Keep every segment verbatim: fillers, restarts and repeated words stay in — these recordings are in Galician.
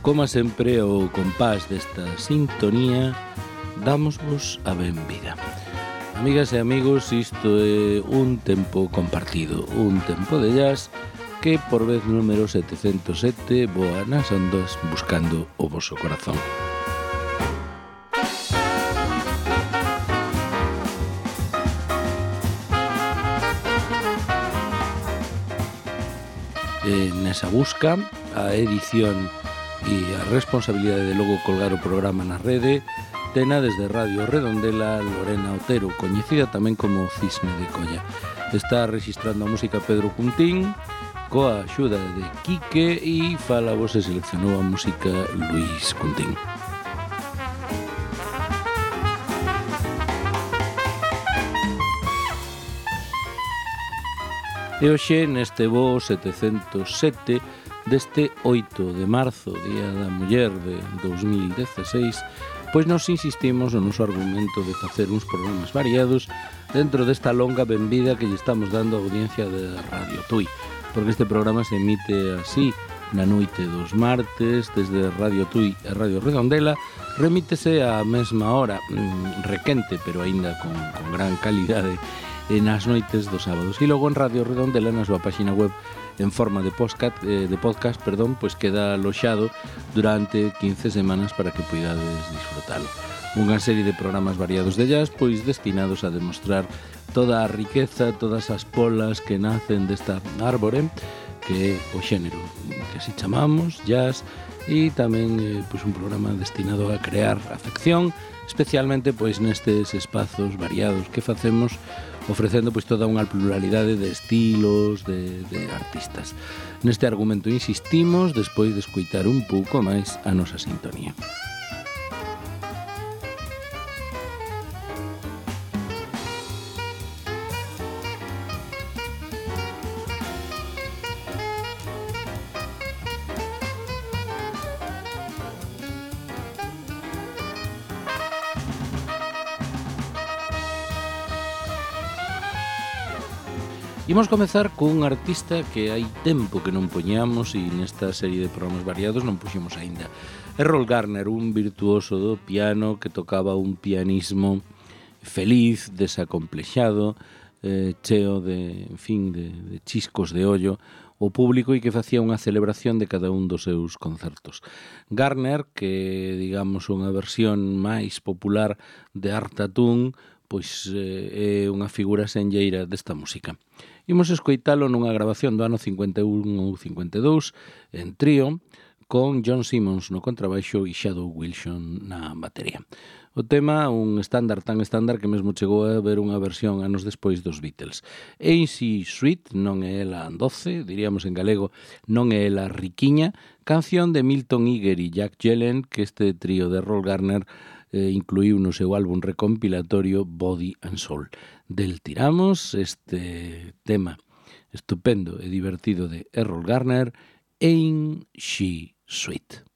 Como sempre, ao compás desta sintonía, dámosvos a benvida. Amigas e amigos, isto é un tempo compartido, un tempo de jazz que por vez número setecentos sete voa nas ondas buscando o voso corazón. E nesa busca, a edición e a responsabilidade de logo colgar o programa na rede tena desde Radio Redondela Lorena Otero, coñecida tamén como Cisne de Colla. Está registrando a música Pedro Cuntín coa axuda de Quique e fala vos e seleccionou a música Luis Cuntín. E hoxe neste voo setecentos sete deste oito de marzo, Día da Muller de dous mil dezasseis, pois nos insistimos no noso argumento de facer uns programas variados dentro desta longa benvida que lle estamos dando á audiencia de Radio Tui, porque este programa se emite así na noite dos martes desde Radio Tui e Radio Redondela, remítese á mesma hora, requente, pero aínda con, con gran calidade, nas noites dos sábados. E logo en Radio Redondela, na súa página web, en forma de podcast, eh, de podcast, perdón, pois queda aloxado durante quince semanas para que poidades disfrutalo. Unha serie de programas variados de jazz, pois destinados a demostrar toda a riqueza, todas as polas que nacen desta árbore, que é o xénero que así chamamos, jazz, e tamén eh, pois un programa destinado a crear afección, especialmente pois nestes espazos variados que facemos, ofrecendo pois toda unha pluralidade de estilos, de, de artistas. Neste argumento insistimos despois de escoitar un pouco máis a nosa sintonía. Imos comezar cun artista que hai tempo que non poñamos e nesta serie de programas variados non puxemos aínda. Errol Garner, un virtuoso do piano que tocaba un pianismo feliz, desacomplexado, eh, cheo de, en fin, de, de chiscos de ollo o público e que facía unha celebración de cada un dos seus concertos. Garner, que digamos unha versión máis popular de Art Tatum, pois eh, é unha figura senlleira desta música. Imos escoitalo nunha grabación do ano cincuenta e un ou cincuenta e dous en trío con John Simmons no contrabaixo e Shadow Wilson na batería. O tema, un estándar tan estándar que mesmo chegou a ver unha versión anos despois dos Beatles. Ain't She Sweet, non é ela doce, diríamos en galego, non é ela riquiña, canción de Milton Eager e Jack Gelen que este trío de Errol Garner eh, incluíu no seu álbum recompilatorio Body and Soul. Del tiramos este tema estupendo e divertido de Errol Garner, Ain't She Sweet.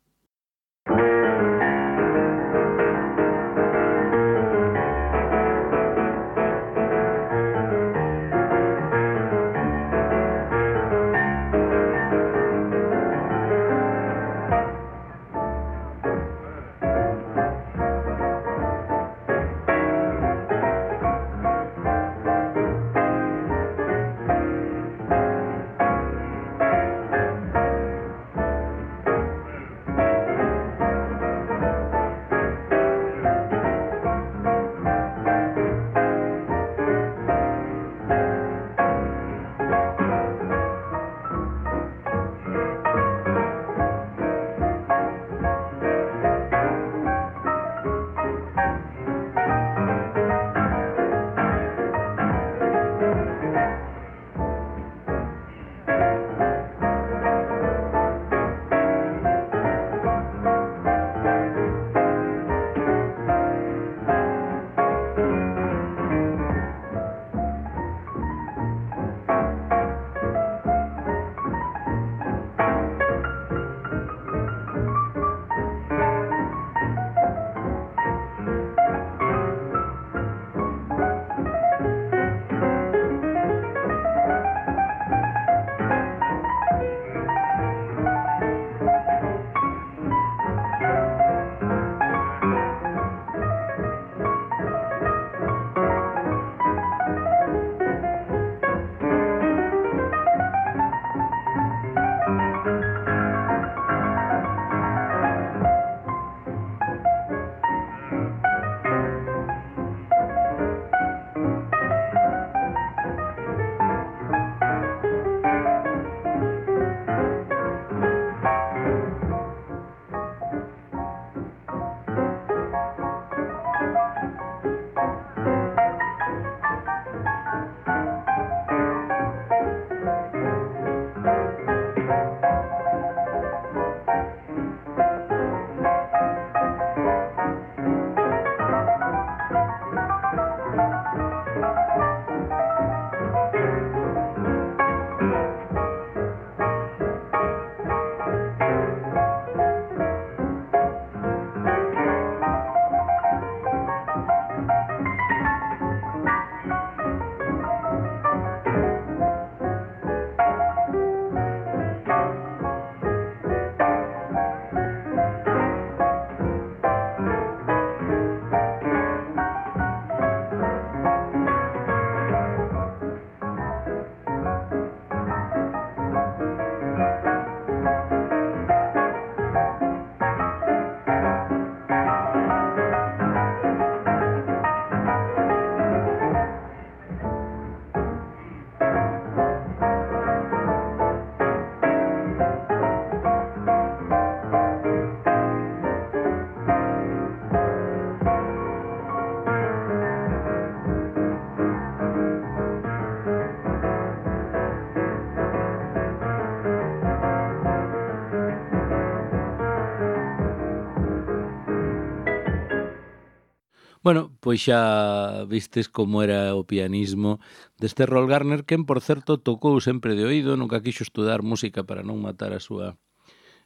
Bueno, pois xa vistes como era o pianismo deste Rolf Gartner, quen, por certo, tocou sempre de oído, nunca quixo estudar música para non matar a súa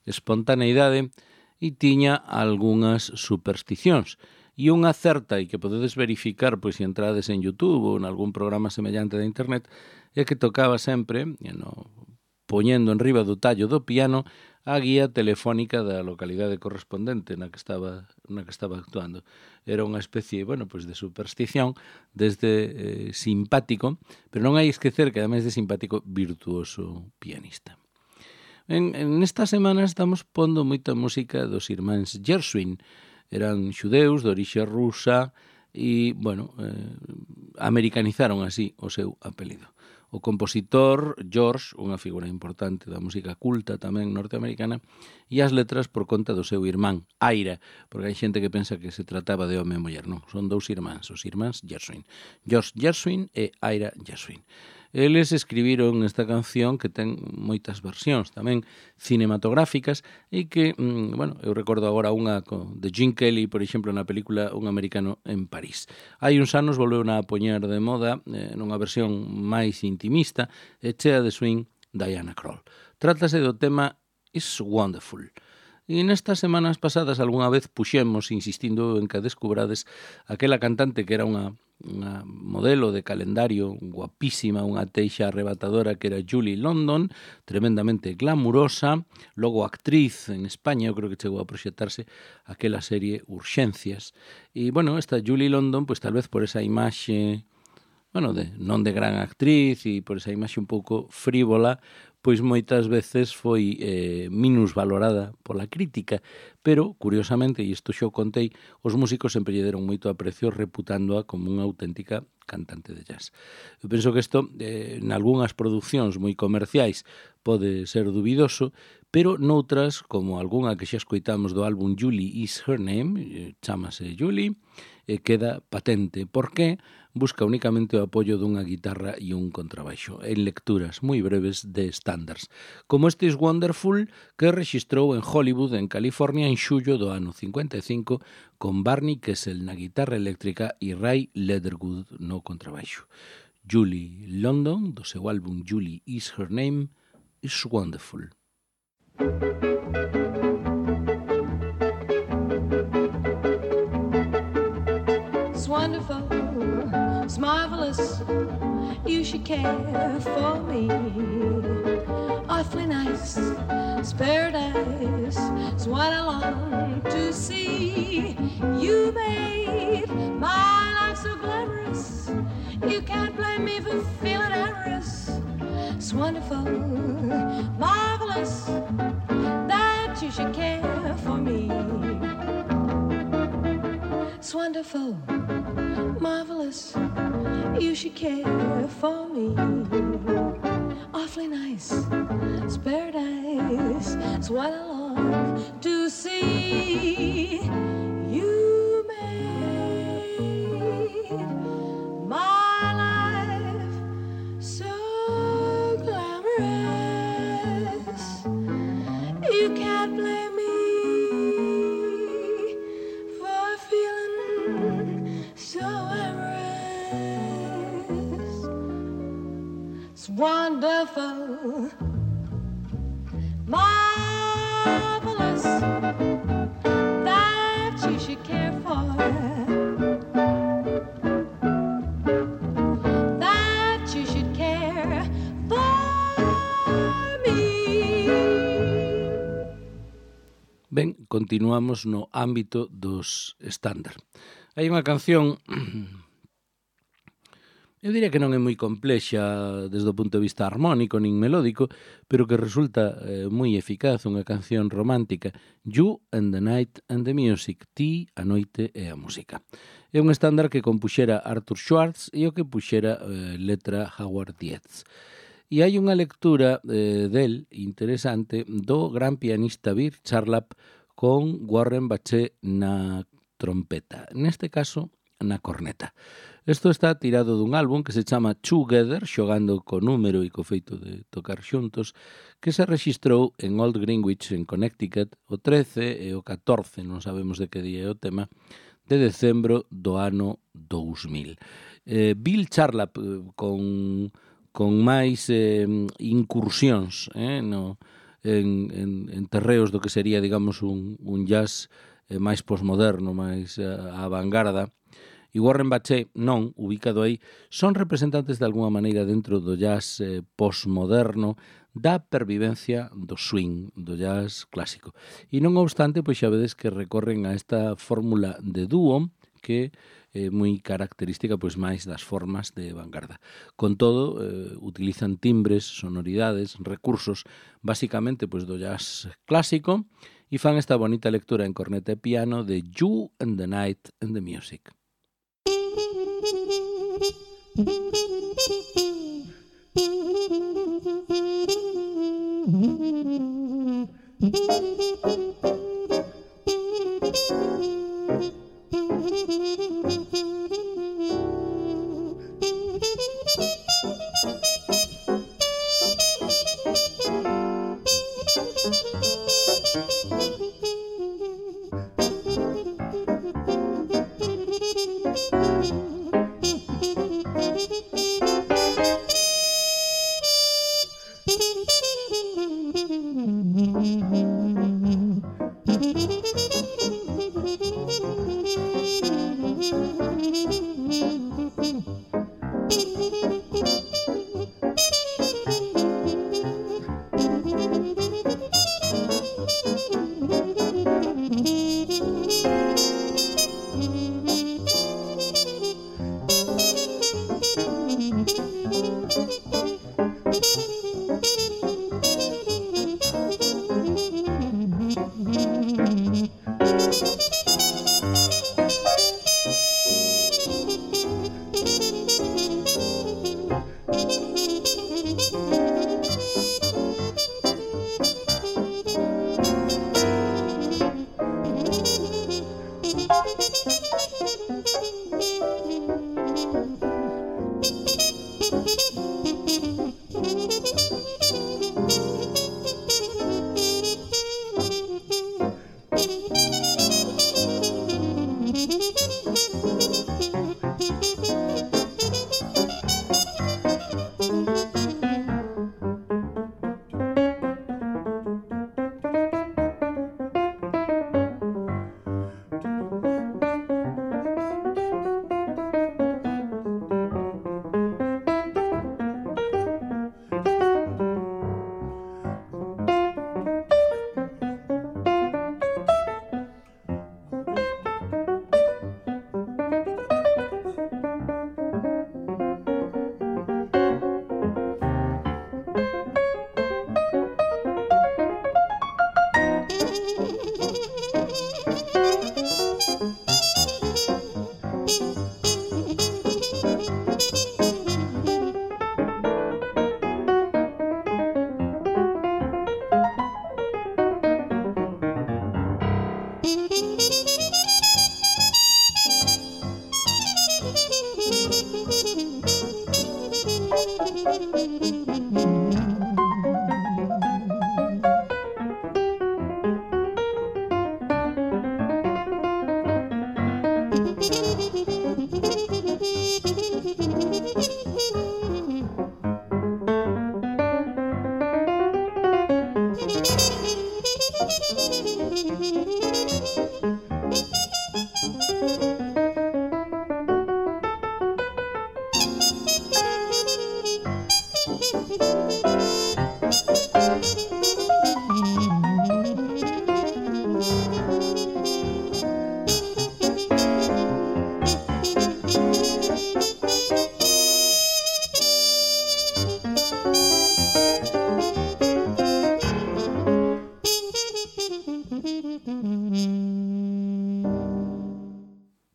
espontaneidade e tiña algunhas supersticións. E unha certa, e que podedes verificar pois se entrades en YouTube ou en algún programa semellante de internet, é que tocaba sempre, no, poñendo en riba do tallo do piano, a guía telefónica da localidade correspondente na que estaba na que estaba actuando. Era unha especie, bueno, pois de superstición desde eh, simpático, pero non hai esquecer que ademais de simpático, virtuoso pianista. En, en esta semana estamos pondo moita música dos irmáns Gershwin. Eran xudeus de orixe rusa e, bueno, eh, americanizaron así o seu apelido. O compositor George, unha figura importante da música culta tamén norteamericana, e as letras por conta do seu irmán, Ira, porque hai xente que pensa que se trataba de home e muller, non, son dous irmáns, os irmáns Gershwin, George Gershwin e Ira Gershwin. Eles escribiron esta canción que ten moitas versións tamén cinematográficas e que, mm, bueno, eu recordo agora unha de Gene Kelly, por exemplo, na película Un americano en París. Hai uns anos volveu a poñer de moda eh, nunha versión máis intimista e chea de swing Diana Krall. Trátase do tema It's Wonderful. E nestas semanas pasadas algunha vez puxemos, insistindo en que descubrades, aquela cantante que era unha, unha modelo de calendario guapísima, unha teixa arrebatadora que era Julie London, tremendamente glamurosa, logo actriz en España, eu creo que chegou a proxectarse aquela serie Urxencias. E, bueno, esta Julie London, pois tal vez por esa imaxe, bueno, de, non de gran actriz e por esa imaxe un pouco frívola, pois moitas veces foi eh, minusvalorada pola crítica, pero, curiosamente, e isto xa o contei, os músicos sempre lle deron moito aprecio reputándoa como unha auténtica cantante de jazz. Eu penso que isto, eh, en algunhas producións moi comerciais, pode ser dubidoso, pero noutras, como algunha que xa escoitamos do álbum Julie Is Her Name, eh, chámase Julie, eh, queda patente. Por que? Busca únicamente o apoio dunha guitarra e un contrabaixo, en lecturas moi breves de estándares, como este Is Wonderful, que rexistrou en Hollywood, en California, en xullo do ano cincuenta e cinco, con Barney Kessel na guitarra eléctrica e Ray Leatherwood no contrabaixo. Julie London, do seu álbum Julie Is Her Name, Is Wonderful. It's wonderful, it's marvelous, you should care for me. Awfully nice, it's paradise, it's what I long to see. You made my life so glamorous, you can't blame me for feeling amorous. It's wonderful, marvelous, that you should care for me. It's wonderful, marvelous, you should care for me. Awfully nice, it's paradise, it's what I long to see. You made my life so glamorous, you can't blame me for feeling so amorous. It's wonderful, marvelous, that you should care for, that you should care for me. Ben, continuamos no ámbito dos estándar. Hai unha canción, eu diría que non é moi complexa desde o punto de vista armónico nin melódico, pero que resulta eh, moi eficaz, unha canción romántica, You and the Night and the Music, Ti, a noite e a música. É un estándar que compuxera Arthur Schwartz e o que puxera eh, letra Howard Dietz. E hai unha lectura eh, del interesante do gran pianista Bill Charlap con Warren Baché na trompeta, neste caso na corneta. Isto está tirado dun álbum que se chama Together, xogando co número e co feito de tocar xuntos, que se rexistrou en Old Greenwich, en Connecticut, o trece e o catorce, non sabemos de que día é o tema, de decembro do ano dous mil. Eh, Bill Charlap eh, con, con máis eh, incursións eh, no, en, en, en terreos do que sería, digamos, un, un jazz eh, máis posmoderno, máis eh, a vanguarda, e Warren Bache non, ubicado aí, son representantes de alguma maneira dentro do jazz eh, posmoderno da pervivencia do swing, do jazz clásico. E non obstante, pois xa vedes que recorren a esta fórmula de dúo que é moi característica pois máis das formas de vanguarda. Con todo, eh, utilizan timbres, sonoridades, recursos, basicamente pois do jazz clásico e fan esta bonita lectura en corneta e piano de You and the Night and the Music.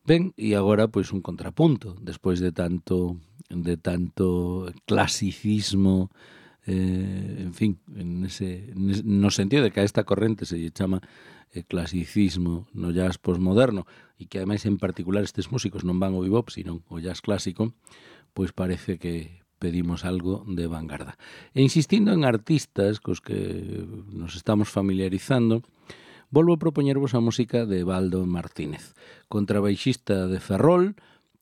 Ben, e agora pois un contrapunto, despois de tanto de tanto clasicismo, eh, en fin, en ese, no sentido de que a esta corrente se lle chama eh, clasicismo no jazz posmoderno e que ademais en particular estes músicos non van ao bebop, sino ao jazz clásico, pois parece que pedimos algo de vanguarda. E insistindo en artistas cos que nos estamos familiarizando, volvo a propoñervos a música de Baldo Martínez, contrabaixista de Ferrol,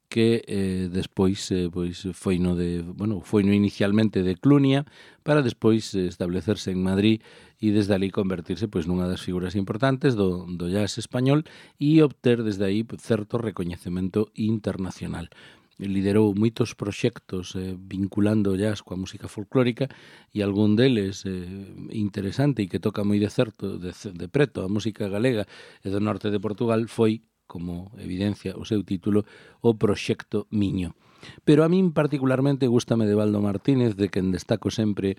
que eh, despois eh, pois foi no de, bueno, foi no inicialmente de Clunia para despois establecerse en Madrid e desde ali convertirse pois nunha das figuras importantes do, do jazz español e obter desde aí certo recoñecemento internacional. Liderou moitos proxectos eh, vinculando o jazz coa música folclórica e algún deles eh, interesante e que toca moi de certo, de, de preto a música galega e do norte de Portugal foi, como evidencia o seu título, o Proxecto Miño. Pero a min particularmente gústame de Baldo Martínez, de quen destaco sempre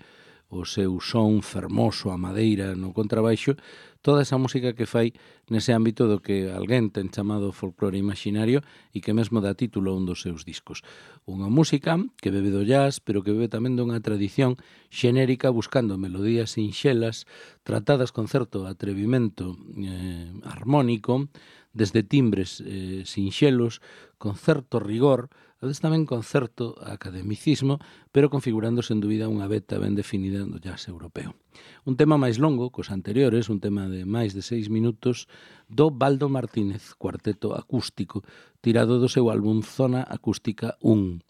o seu son fermoso, a madeira no contrabaixo, toda esa música que fai nese ámbito do que alguén ten chamado folclore imaginario e que mesmo dá título a un dos seus discos. Unha música que bebe do jazz, pero que bebe tamén dunha tradición xenérica buscando melodías sinxelas, tratadas con certo atrevimento eh, armónico, desde timbres eh, sinxelos, con certo rigor, a veces tamén con certo academicismo, pero configurando sen dúbida unha veta ben definida do jazz europeo. Un tema máis longo cos anteriores, un tema de máis de seis minutos, do Baldo Martínez, cuarteto acústico, tirado do seu álbum Zona Acústica un,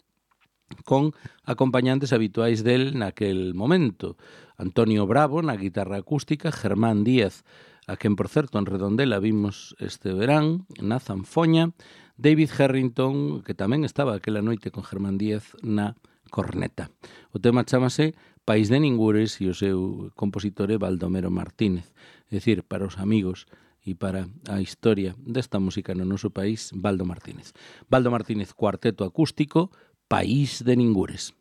con acompañantes habituais del naquel momento. Antonio Bravo na guitarra acústica, Germán Díaz, a quen, por certo, en Redondela vimos este verán, na zanfoña, David Harrington, que tamén estaba aquela noite con Germán Díaz na corneta. O tema chamase País de Ningures e o seu compositor é Baldomero Martínez. É dicir, para os amigos e para a historia desta música no noso país, Baldo Martínez. Baldo Martínez, cuarteto acústico, País de Ningures.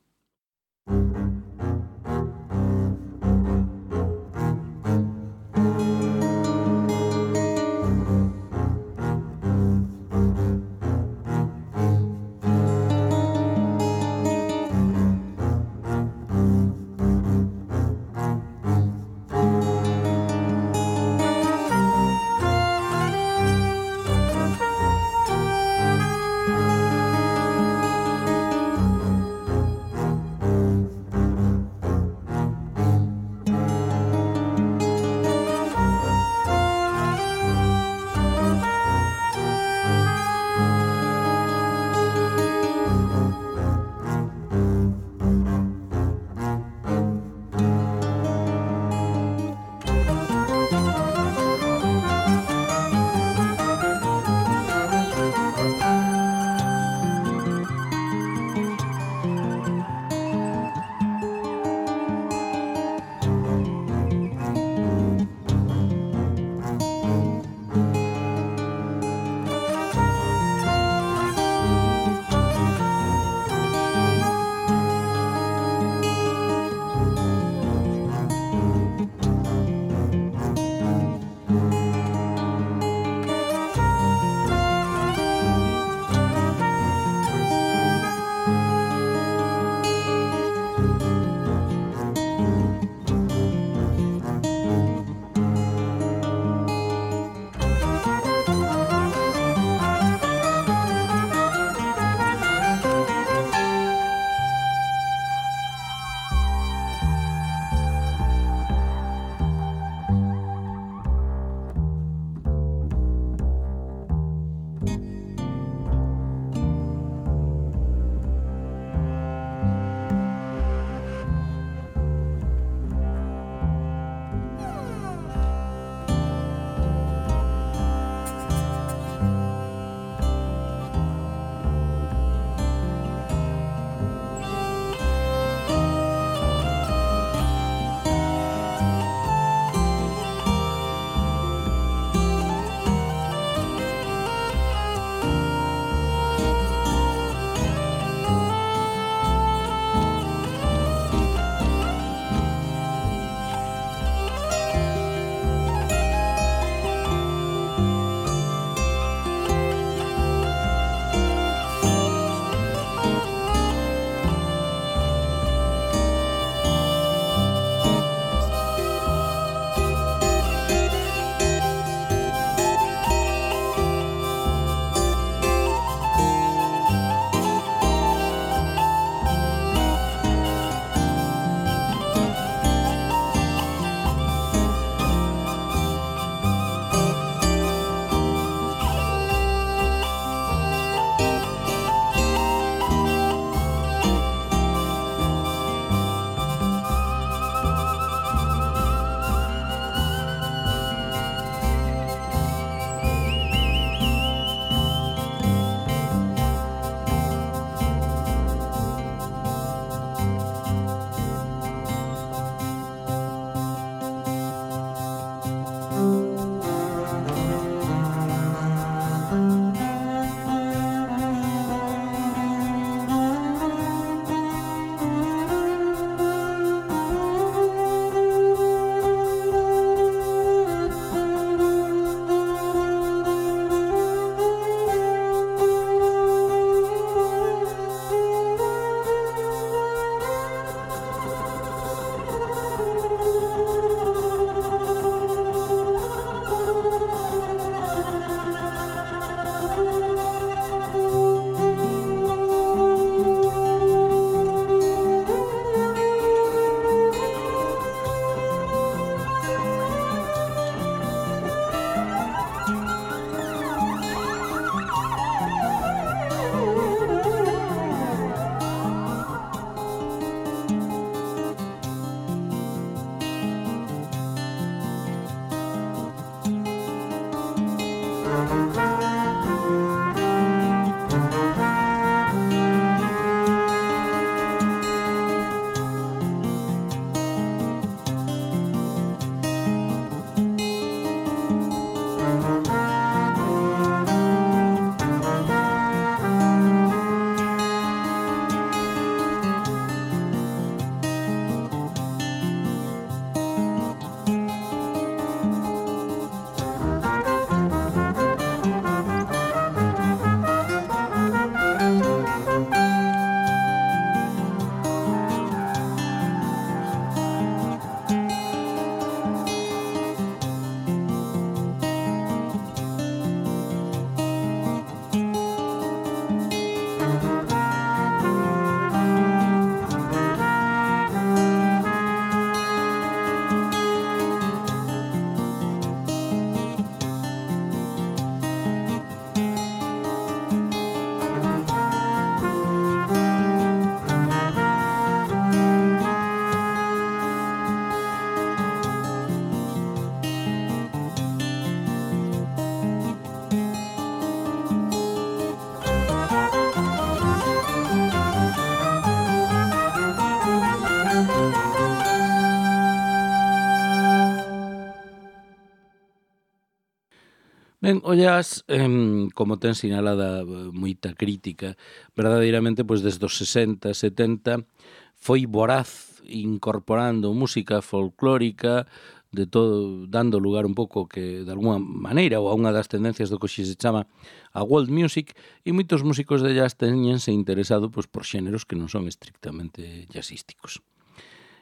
Ben, o jazz, eh, como ten sinalada moita crítica, verdadeiramente, pois desde os sesenta, setenta, foi voraz incorporando música folclórica, de todo, dando lugar un pouco que, de alguma maneira, ou a unha das tendencias do que se chama a world music, e moitos músicos de jazz teñense interesado pois, por xéneros que non son estrictamente jazzísticos.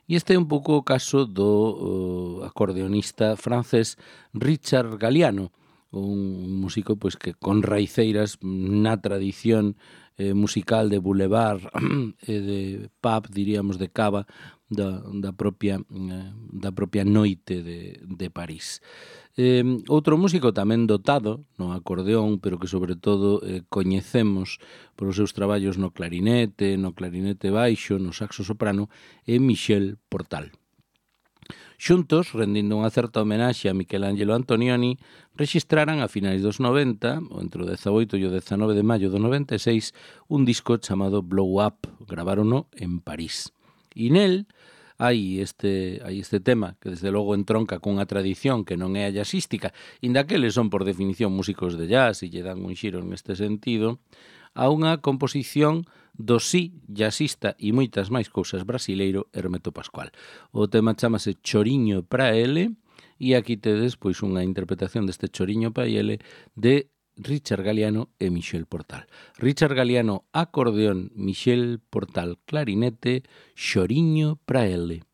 E este é un pouco o caso do uh, acordeonista francés Richard Galliano, un músico pois que con raiceiras na tradición eh, musical de boulevard e de pub, diríamos, de cava da, da propia eh, da propia noite de, de París. Eh, outro músico tamén dotado no acordeón, pero que sobre todo eh, coñecemos por os seus traballos no clarinete, no clarinete baixo, no saxo soprano, é Michel Portal. Xuntos, rendindo unha certa homenaxe a Michelangelo Antonioni, rexistraran a finais dos noventa, ou entre o dezaoito e o dezanove de maio do noventa e seis, un disco chamado Blow Up, gravárono en París. E nel hai este, hai este tema que desde logo entronca cunha tradición que non é a jazzística, inda que eles son por definición músicos de jazz e lle dan un xiro neste sentido, a unha composición do sí jazzista e moitas máis cousas brasileiro Hermeto Pascual. O tema chamase Choriño pra ele e aquí tedes pois unha interpretación deste Choriño pra ele de Richard Galliano e Michel Portal. Richard Galliano acordeón, Michel Portal clarinete, Choriño pra ele.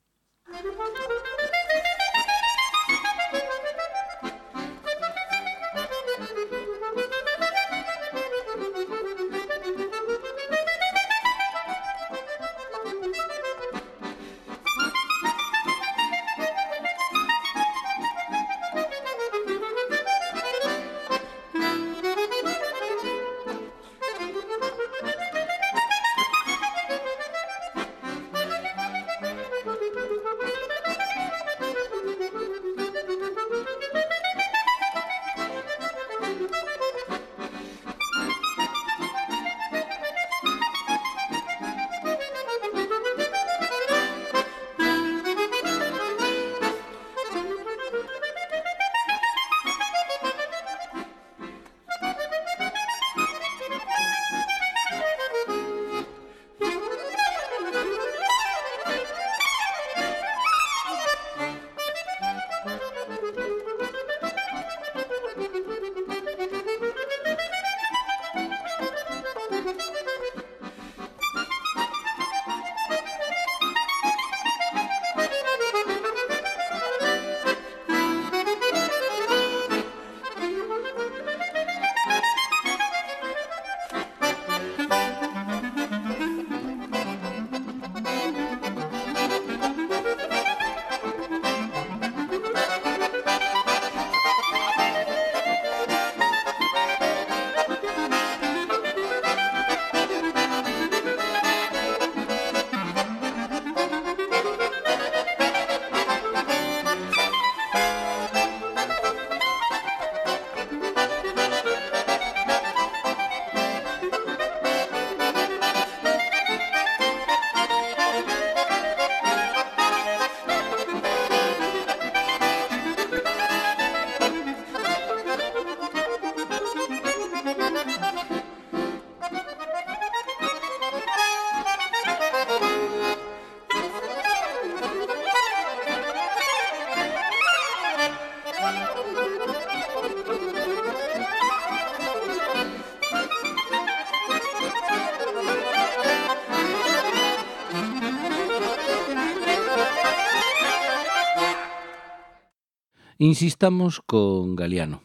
Insistamos con Galliano.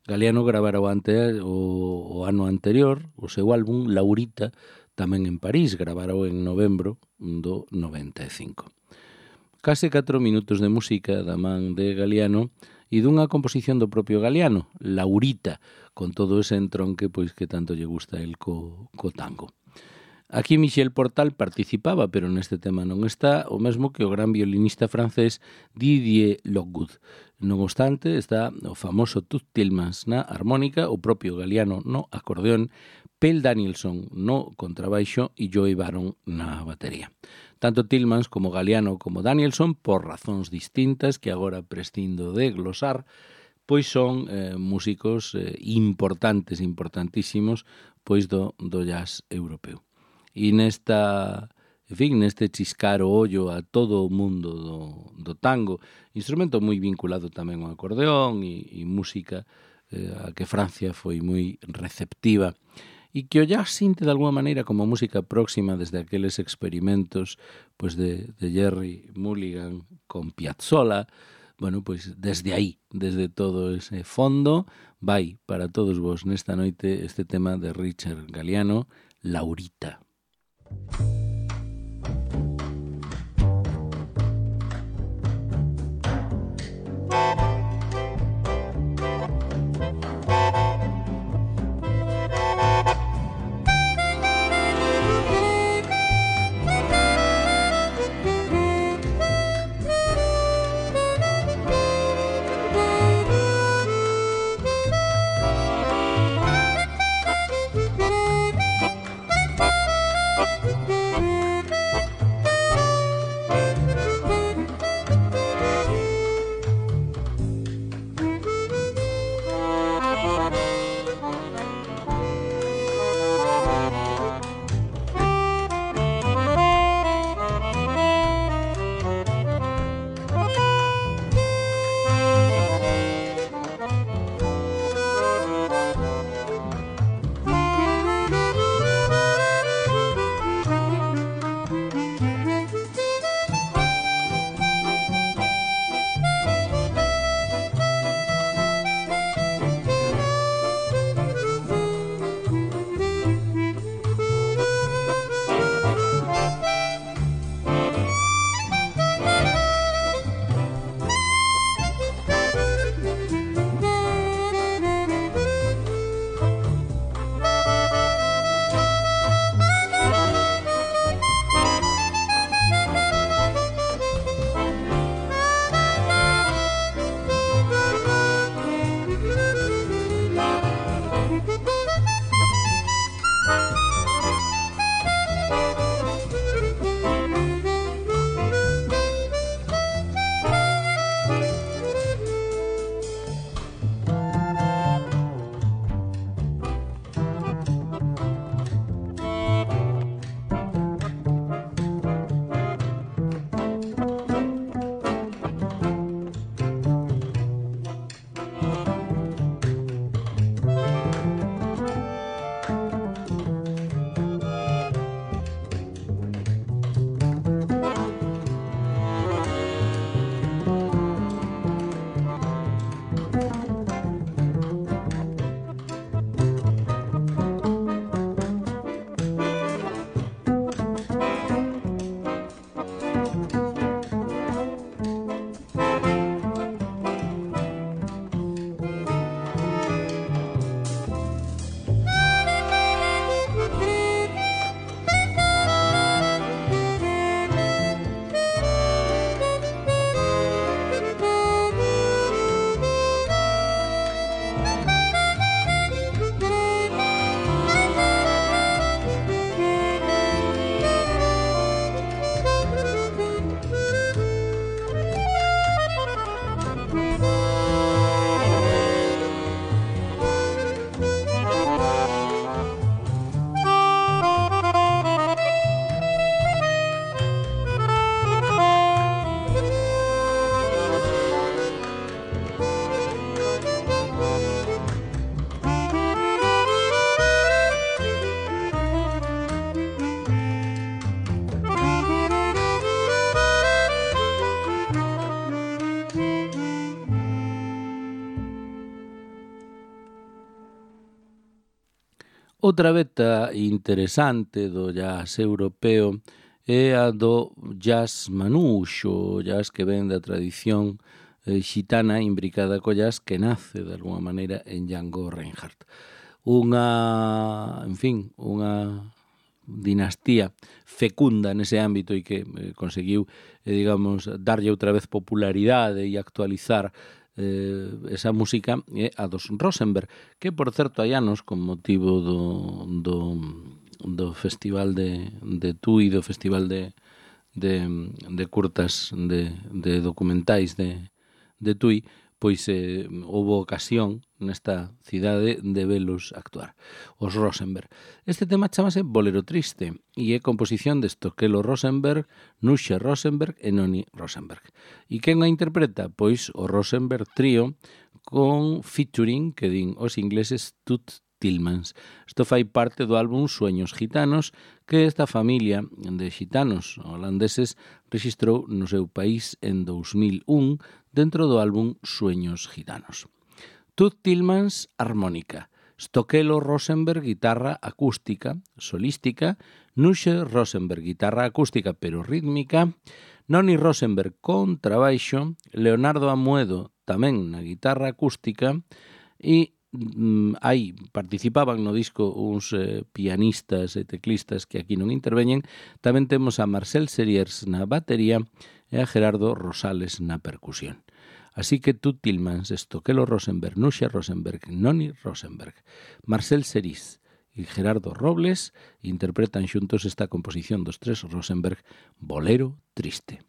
Galliano gravara o, ante, o, o ano anterior o seu álbum Laurita, tamén en París, gravara en novembro do noventa e cinco. Case catro minutos de música da man de Galliano e dunha composición do propio Galliano, Laurita, con todo ese entronque pois que tanto lle gusta el co, co tango. Aquí Michel Portal participaba, pero neste tema non está, o mesmo que o gran violinista francés Didier Lockwood. Non obstante, está o famoso Toots Thielemans na armónica, o propio Galliano no acordeón, Pell Danielson no contrabaixo e Joey Baron na batería. Tanto Thielemans como Galliano como Danielson, por razóns distintas que agora prescindo de glosar, pois son eh, músicos eh, importantes, importantísimos, pois do, do jazz europeu. E nesta, en fin, neste chiscar o ollo a todo o mundo do, do tango, instrumento moi vinculado tamén ao acordeón e, e música eh, a que Francia foi moi receptiva, e que o jazz sinte de alguma maneira como música próxima desde aqueles experimentos pois de, de Jerry Mulligan con Piazzolla. Bueno, pois desde aí, desde todo ese fondo, vai para todos vos nesta noite este tema de Richard Galliano, Laurita. Outra veta interesante do jazz europeo é a do jazz manuxo, o jazz que ven da tradición eh, xitana imbricada co jazz que nace de alguma maneira en Django Reinhardt. Unha, en fin, unha dinastía fecunda nese ámbito e que eh, conseguiu, eh, digamos, darlle outra vez popularidade e actualizar eh, esa música é a dos Rosenberg, que, por certo, hai anos, con motivo do, do, do Festival de, de Tui, do Festival de, de, de curtas, de, de documentais de, de Tui, pois eh, houve ocasión nesta cidade de velos actuar, os Rosenberg. Este tema chamase Bolero Triste e é composición de Stokelo Rosenberg, Nusche Rosenberg e Noni Rosenberg. E quen a interpreta? Pois o Rosenberg Trio con featuring, que din os ingleses, Toots Thielemans. Isto fai parte do álbum Sueños Gitanos, que esta familia de xitanos holandeses registrou no seu país en dous mil un dentro do álbum Sueños Gitanos. Toots Thielemans, armónica. Stokelo Rosenberg, guitarra acústica, solística. Nusche Rosenberg, guitarra acústica pero rítmica. Noni Rosenberg, contrabaixo. Leonardo Amuedo, tamén na guitarra acústica. E mm, aí participaban no disco uns eh, pianistas e teclistas que aquí non interveñen. Tamén temos a Marcel Seriers na batería e a Gerardo Rosales na percusión. Así que Toots Thielemans, Stokelo Rosenberg, Nusche Rosenberg, Noni Rosenberg, Marcel Seriers e Gerardo Robles interpretan xuntos esta composición dos tres Rosenberg, Bolero Triste.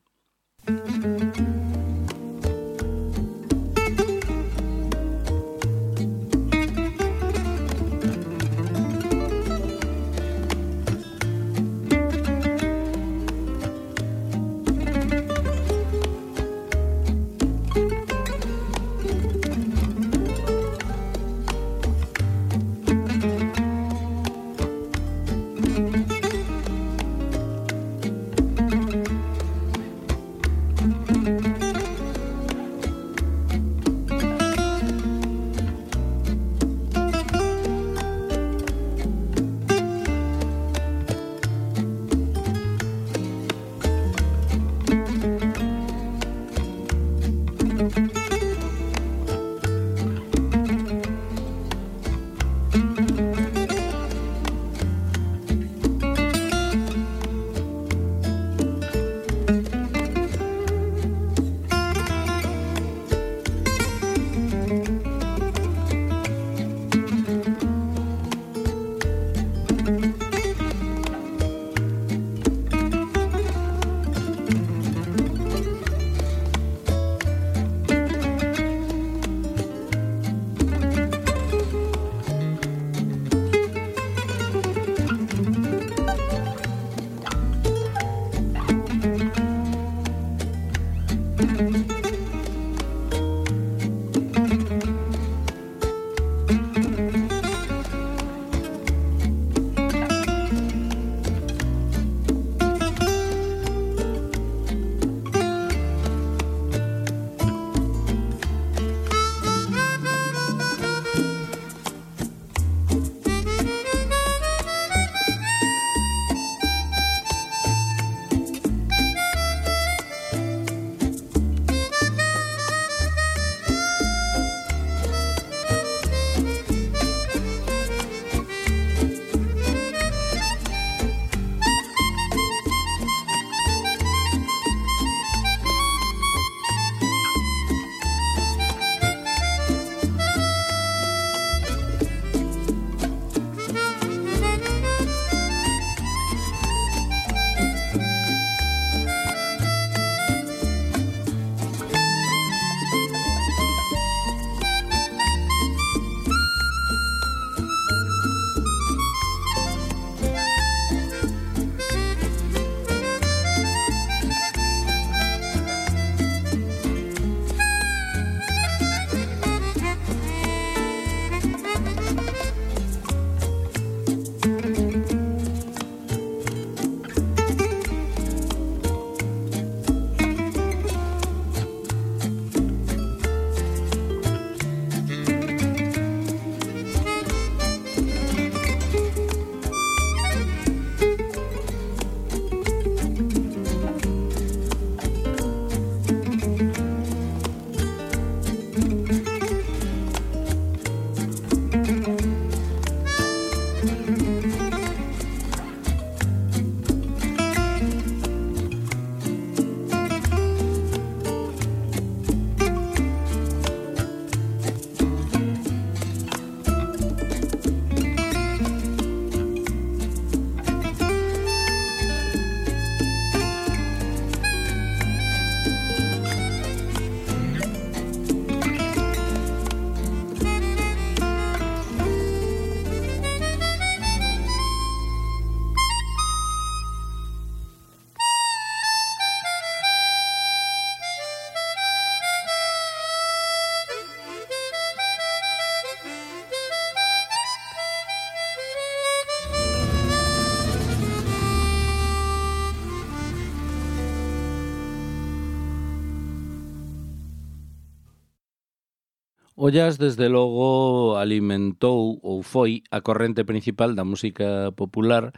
O jazz, desde logo, alimentou ou foi a corrente principal da música popular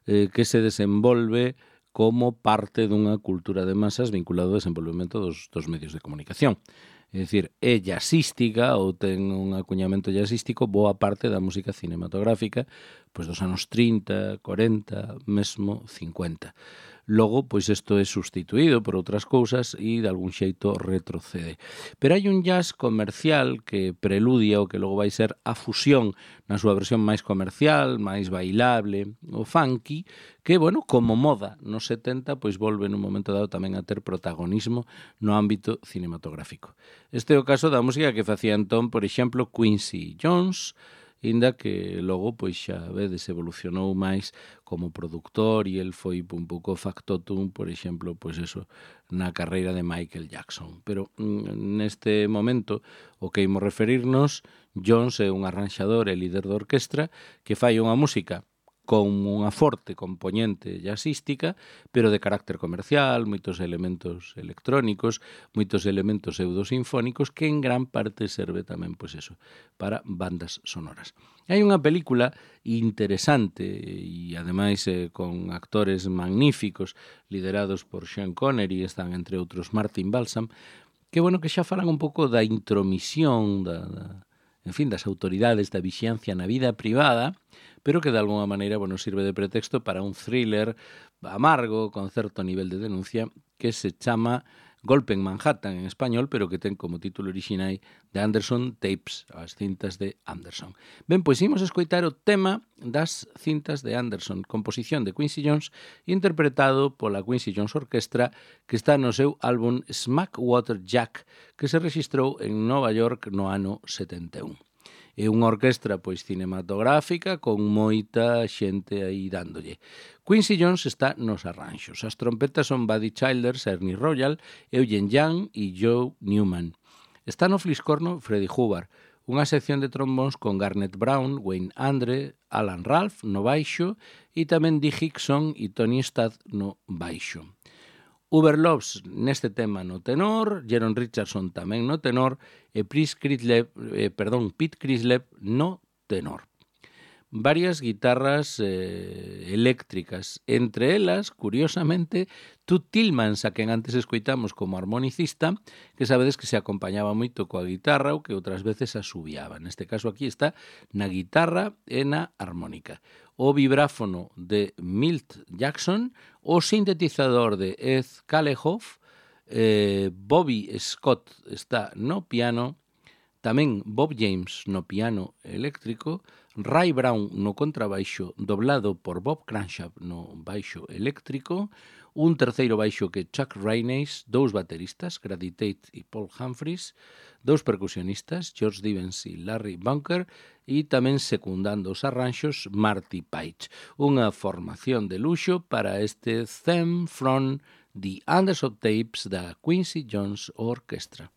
eh, que se desenvolve como parte dunha cultura de masas vinculado ao desenvolvemento dos, dos medios de comunicación. É dicir, é jazzística ou ten un acuñamento jazzístico boa parte da música cinematográfica pois dos anos trinta, cuarenta, mesmo cincuenta. Logo, pois isto é sustituído por outras cousas e de algún xeito retrocede. Pero hai un jazz comercial que preludia o que logo vai ser a fusión na súa versión máis comercial, máis bailable, o funky, que, bueno, como moda nos setenta, pois volve nun momento dado tamén a ter protagonismo no ámbito cinematográfico. Este é o caso da música que facía entón, por exemplo, Quincy Jones, inda que logo, pois xa vedes, evolucionou máis como productor e el foi un pouco factotum, por exemplo, pois eso, na carreira de Michael Jackson. Pero neste momento, o que imos referirnos, Jones é un arranxador e líder de orquestra que fai unha música con unha forte componente jazzística, pero de carácter comercial, moitos elementos electrónicos, moitos elementos pseudosinfónicos, que en gran parte serve tamén, pois eso, para bandas sonoras. Hai unha película interesante e, ademais, eh, con actores magníficos, liderados por Sean Connery, están, entre outros, Martin Balsam, que, bueno, que xa falan un pouco da intromisión, da, da en fin, das autoridades da vixiancia na vida privada, pero que de alguna maneira, bueno, sirve de pretexto para un thriller amargo, con certo nivel de denuncia, que se chama Golpe en Manhattan en español, pero que ten como título orixinal de Anderson Tapes, as cintas de Anderson. Ben, pois imos escoitar o tema das cintas de Anderson, composición de Quincy Jones, interpretado pola Quincy Jones Orquestra, que está no seu álbum Smackwater Jack, que se registrou en Nova York no ano setenta e un. É unha orquestra pois cinematográfica con moita xente aí dándolle. Quincy Jones está nos arranxos. As trompetas son Buddy Childers, Ernie Royal, Eugene Young e Joe Newman. Está no fliscorno Freddie Hubbard, unha sección de trombóns con Garnet Brown, Wayne Andre, Alan Ralph no baixo e tamén Dee Hickson e Tony Stadd no baixo. Uber Loves neste tema no tenor, Jeron Richardson tamén no tenor e Chris Crislev, eh, perdón, Pete Crislev no tenor. Varias guitarras eh, eléctricas, entre elas, curiosamente, Tut Tillmans, a quen antes escoitamos como armonicista, que sabedes que se acompañaba moito coa guitarra ou que outras veces asubiaba. Neste caso aquí está na guitarra e na armónica. O vibráfono de Milt Jackson, o sintetizador de Ed Kalehoff, eh, Bobby Scott está no piano, tamén Bob James no piano eléctrico, Ray Brown no contrabaixo, doblado por Bob Cranshaw no baixo eléctrico, un terceiro baixo que Chuck Rainey, dous bateristas, Grady Tate e Paul Humphries, dous percusionistas, George Stevens e Larry Bunker, e tamén secundando os arranxos, Marty Paich. Unha formación de luxo para este theme from the Anderson Tapes da Quincy Jones Orchestra.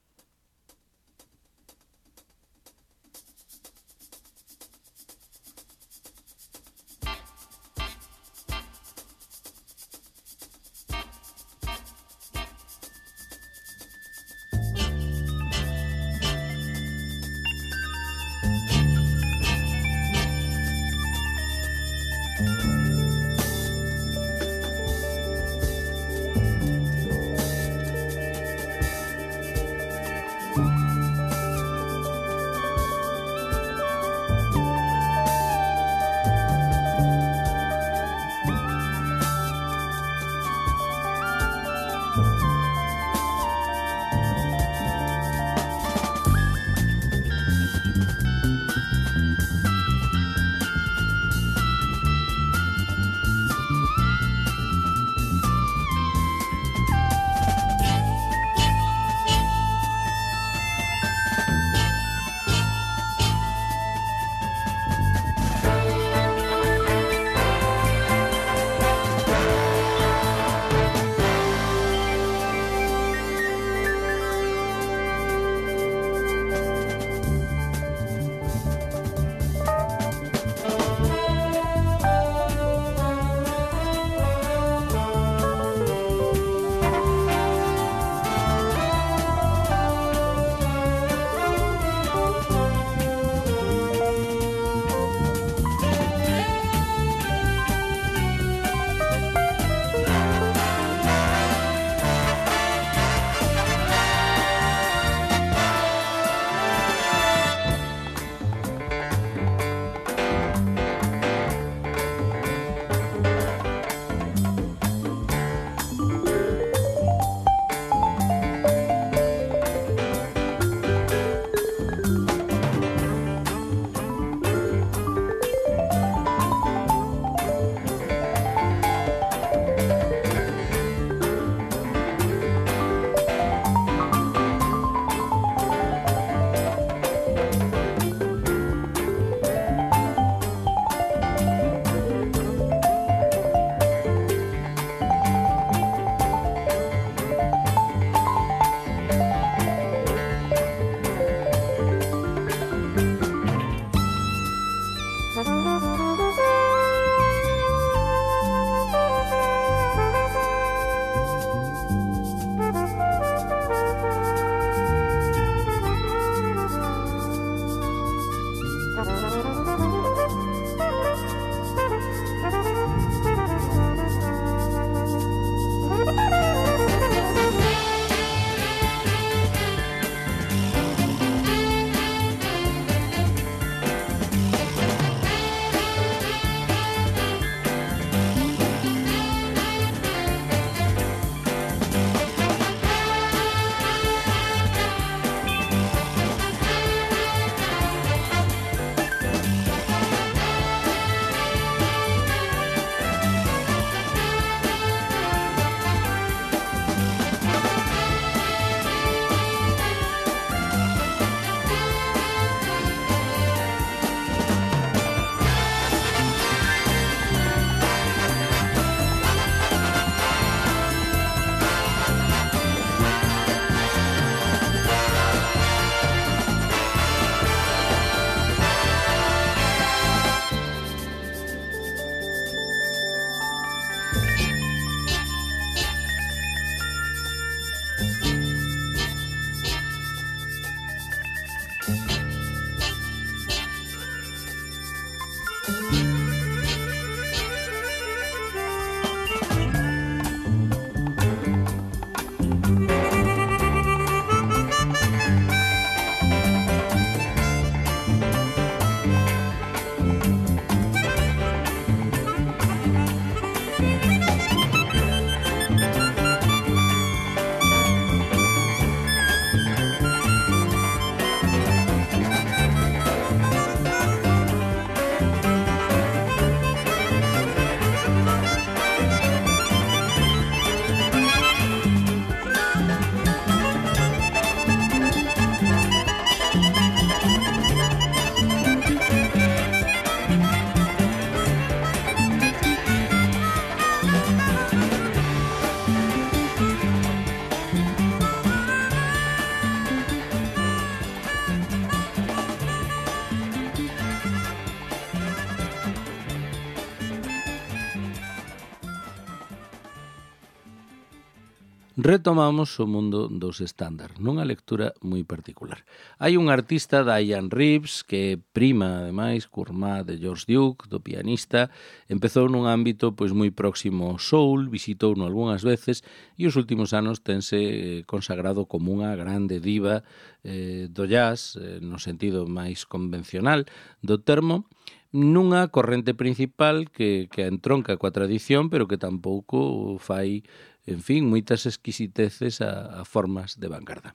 retomamos o mundo dos estándar, nunha lectura moi particular. Hai un artista, Diane Reeves, que é prima, ademais, curmá de George Duke, do pianista, empezou nun ámbito pois moi próximo ao soul, visitouno algunhas veces e os últimos anos tense consagrado como unha grande diva eh, do jazz, eh, no sentido máis convencional do termo, nunha corrente principal que, que entronca coa tradición, pero que tampouco fai, en fin, moitas exquisiteces a, a formas de vanguarda.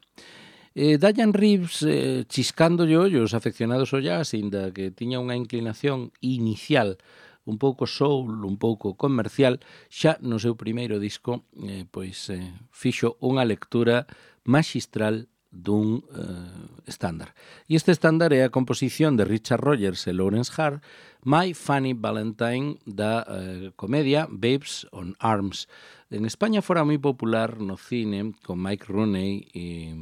Eh, Diane Reeves, eh, chiscando ollos afeccionados ao jazz, inda que tiña unha inclinación inicial un pouco soul, un pouco comercial, xa no seu primeiro disco eh, pois eh, fixo unha lectura maxistral dun uh, estándar. E este estándar é a composición de Richard Rogers e Lawrence Hart, My Funny Valentine, da uh, comedia Babes on Arms. En España fora moi popular no cine con Mike Rooney e,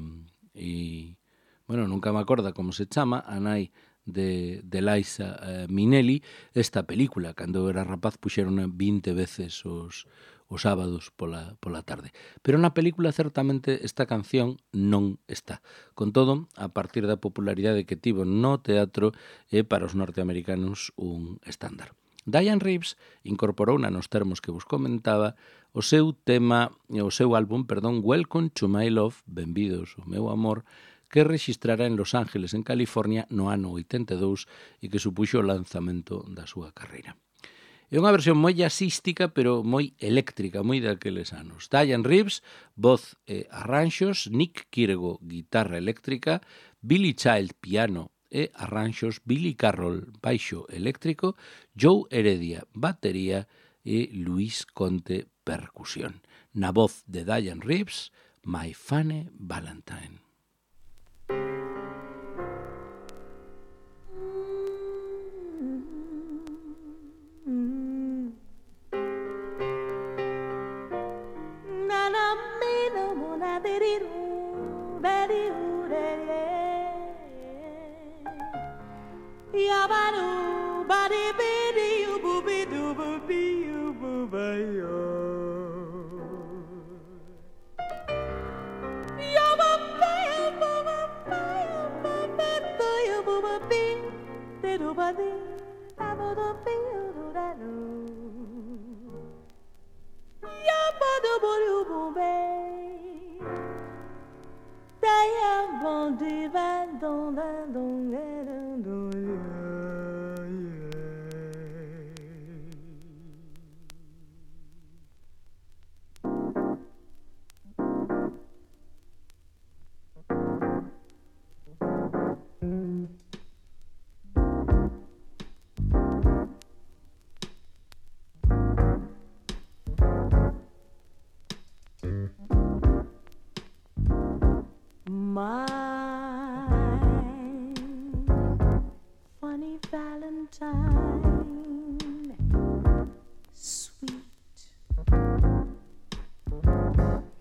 e bueno, nunca me acorda como se chama, a nai de, de Liza uh, Minnelli. Esta película, cando eu era rapaz, puxeron vinte veces os os sábados pola, pola tarde. Pero na película, certamente, esta canción non está. Con todo, a partir da popularidade que tivo no teatro, é para os norteamericanos un estándar. Diane Reeves incorporou nos termos que vos comentaba o seu tema, o seu álbum, perdón, Welcome to My Love, Benvidos ao meu amor, que registrara en Los Ángeles, en California, no ano oitenta e dous e que supuxo o lanzamento da súa carreira. É unha versión moi jazzística, pero moi eléctrica, moi daqueles anos. Diane Reeves, voz e arranxos, Nick Kirego, guitarra eléctrica, Billy Child, piano e arranxos, Billy Carroll, baixo eléctrico, Joe Heredia, batería e Luis Conte, percusión. Na voz de Diane Reeves, My Funny Valentine.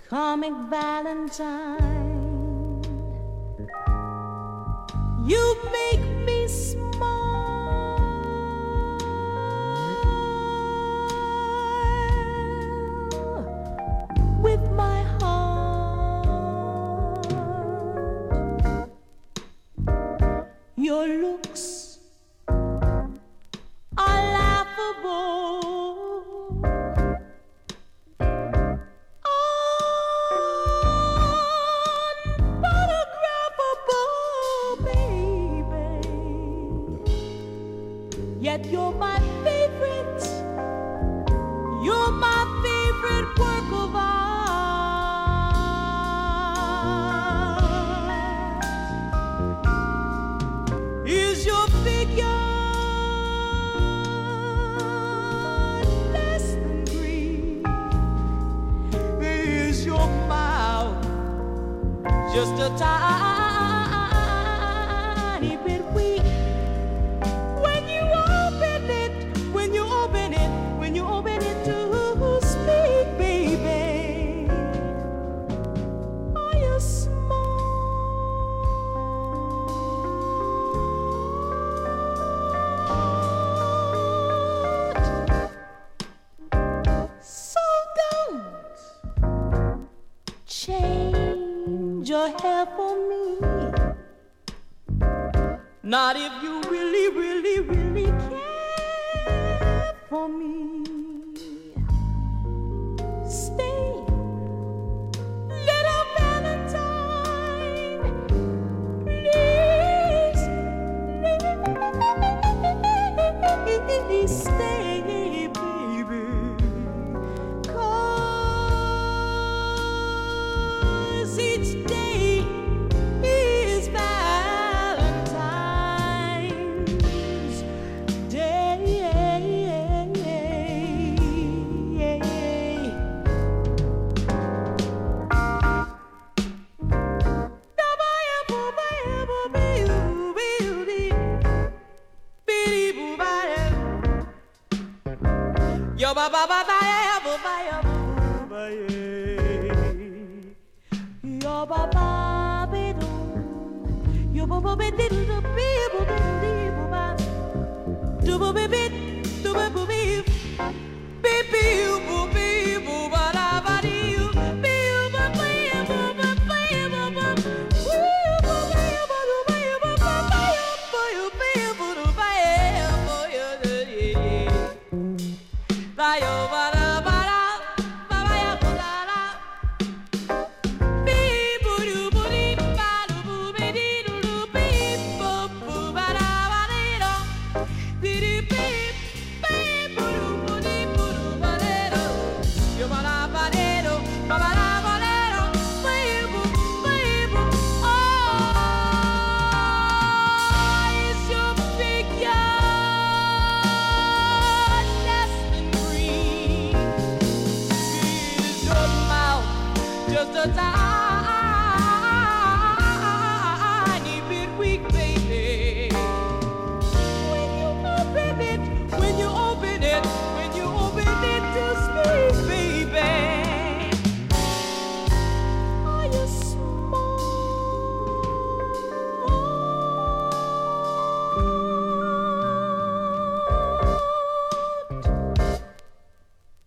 Comic Valentine, you make me smile with my heart. Your looks are laughable. Yet you're my favorite, you're my favorite work of art. Is your figure less than green? Is your mouth just a tiny bit weak? your hair for me. Not if you really, really, really care for me. Stay, little Valentine, please, please stay, baby, 'cause each day is Valentine's Day. Yo ba ba ba ba ya ba ba ya ba ya. Yo ba ba ba do. Yo ba ba ba do do be bo do be bo ba. Do bo be be do bo bo be. Be be bo be bo ba la ba di. Be ba ba ya ba ba ba ya ba ba. Yo ba ba ya ba do ba ya ba ba ba ya ba ya be bo do ba ya ba ya de. Ba yo ba da ba da ba ba ya ba da da. Be bo do bo di ba do bo be di do do be bo bo ba da ba di do. Di di be be bo do bo di bo do ba di do. Yo ba da ba di do ba ba da ba di do. Be bo be bo. Oh, is your figure less than green? Is your mouth just a tiny bit weak, baby? When you open it, when you open it, when you open it to speak, baby, are you smart?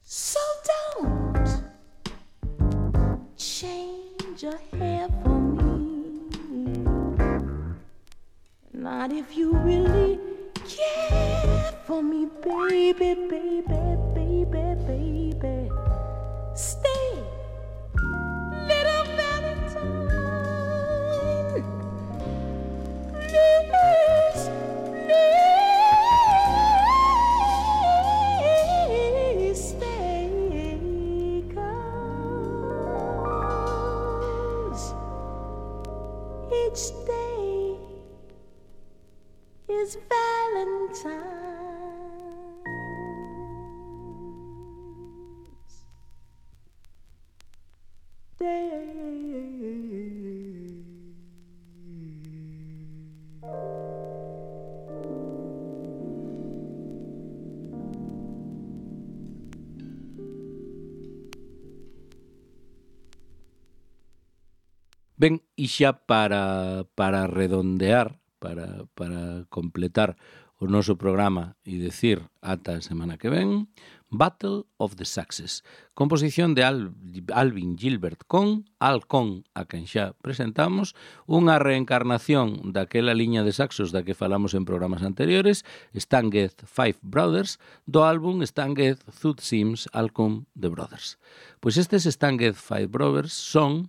So don't change your hair for me. Not if you really care for me, baby, baby, baby, baby. Stay, little Valentine. Please, please stay, 'cause each day is Valentine's Day. Ben, e xa para, para redondear, para, para completar o noso programa e decir ata a semana que ven, Battle of the Saxes, composición de Al, Alvin Gilbert con Al Con, a quen xa presentamos, unha reencarnación daquela liña de saxos da que falamos en programas anteriores, Stan Getz Five Brothers, do álbum Stan Getz Thud Sims Al Con The Brothers. Pois estes Stan Getz Five Brothers son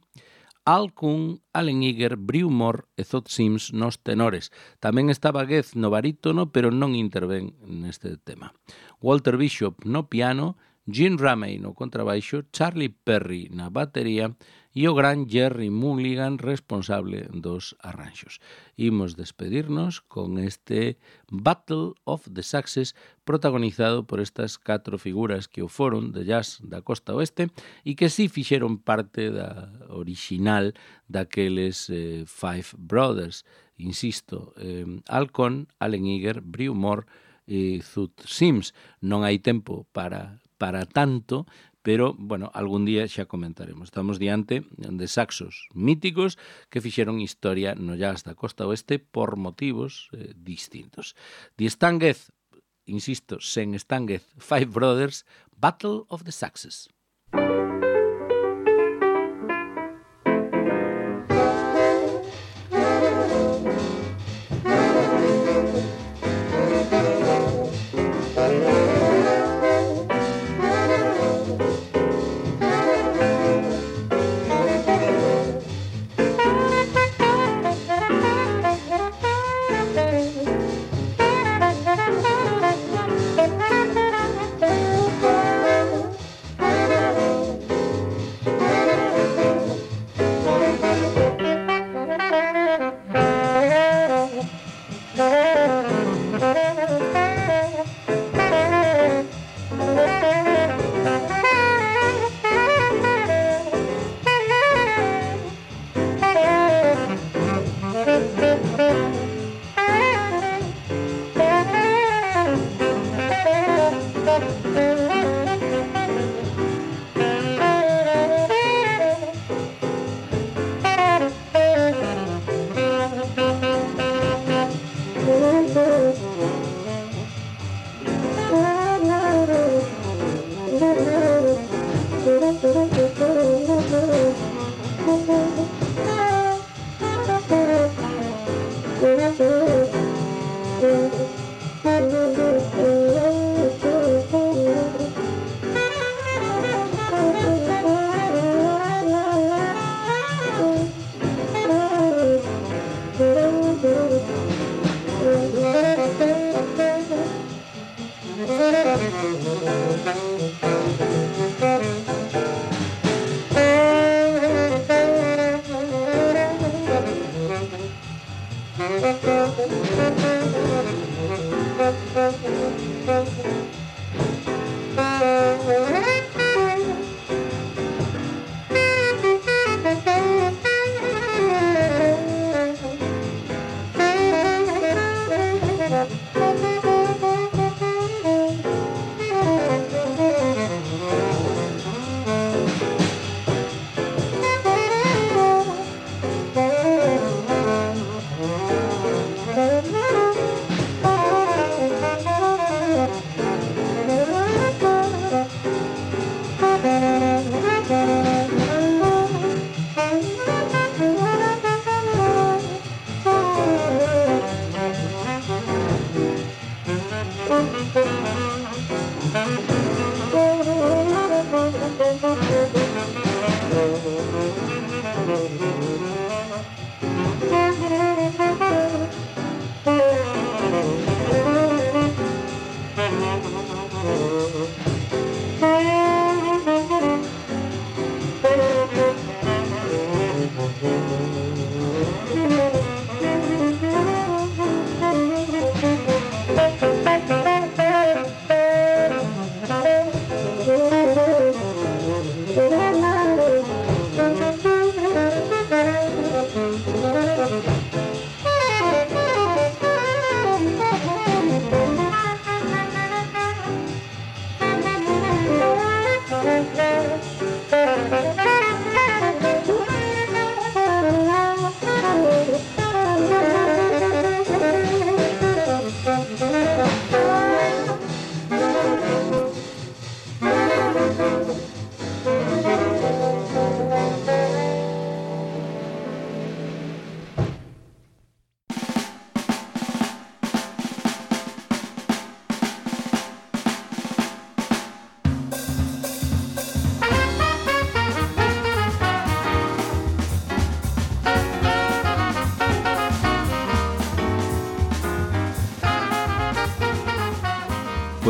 Al Coon, Allen Eager, Brew Moore e Thud Sims nos tenores. Tamén estaba Getz no barítono, pero non intervén neste tema. Walter Bishop no piano, Gene Ramey no contrabaixo, Charlie Perry na batería e o gran Jerry Mulligan responsable dos arranxos. Imos despedirnos con este Battle of the Saxes protagonizado por estas catro figuras que o foron de jazz da costa oeste e que si fixeron parte da original daqueles eh, Five Brothers. Insisto, eh, Al Con, Allen Eager, Brew Moore e Thud Sims. Non hai tempo para para tanto, pero, bueno, algún día xa comentaremos. Estamos diante de saxos míticos que fixeron historia no jazz da costa oeste por motivos eh, distintos. The Stan Getz, insisto, sen Stan Getz, Five Brothers, Battle of the Saxes.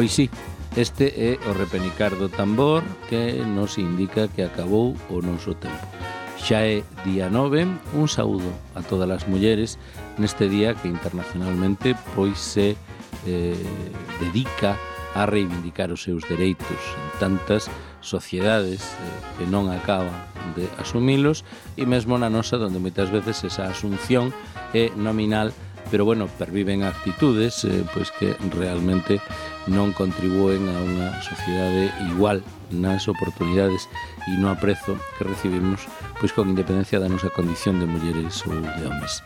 Pois sí, este é o repenicar do tambor que nos indica que acabou o noso tempo. Xa é día nove, un saúdo a todas as mulleres neste día que internacionalmente pois se eh, dedica a reivindicar os seus dereitos en tantas sociedades eh, que non acaban de asumilos e mesmo na nosa donde moitas veces esa asunción é nominal, pero bueno, perviven actitudes eh, pois que realmente non contribúen a unha sociedade igual nas oportunidades e no aprezo que recibimos pois con independencia da nosa condición de mulleres ou de homes.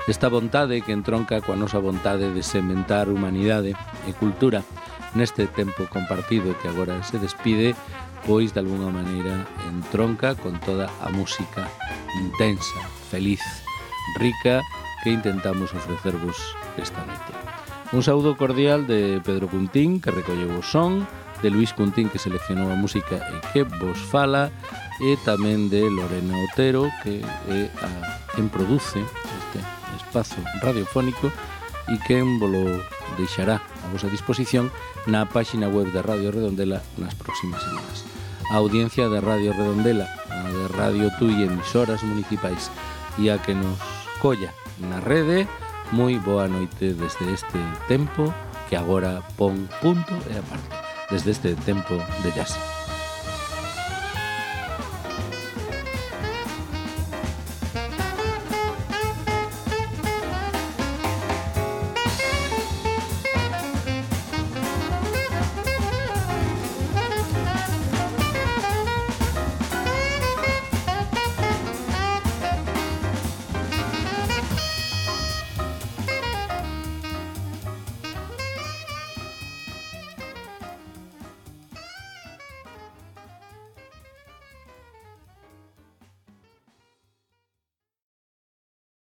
Esta vontade que entronca coa nosa vontade de sementar humanidade e cultura neste tempo compartido que agora se despide, pois de alguna maneira entronca con toda a música intensa, feliz, rica que intentamos ofrecervos esta noite. Un saúdo cordial de Pedro Cuntín, que recolleu o son, de Luís Cuntín, que seleccionou a música e que vos fala, e tamén de Lorena Otero, que é a quen produce este espazo radiofónico e quen volo deixará a vosa disposición na páxina web de Radio Redondela nas próximas semanas. A audiencia de Radio Redondela, a de Radio Tui e emisoras municipais e a que nos colla na rede, moi boa noite desde este tempo que agora pon punto e aparte, desde este tempo de jazz.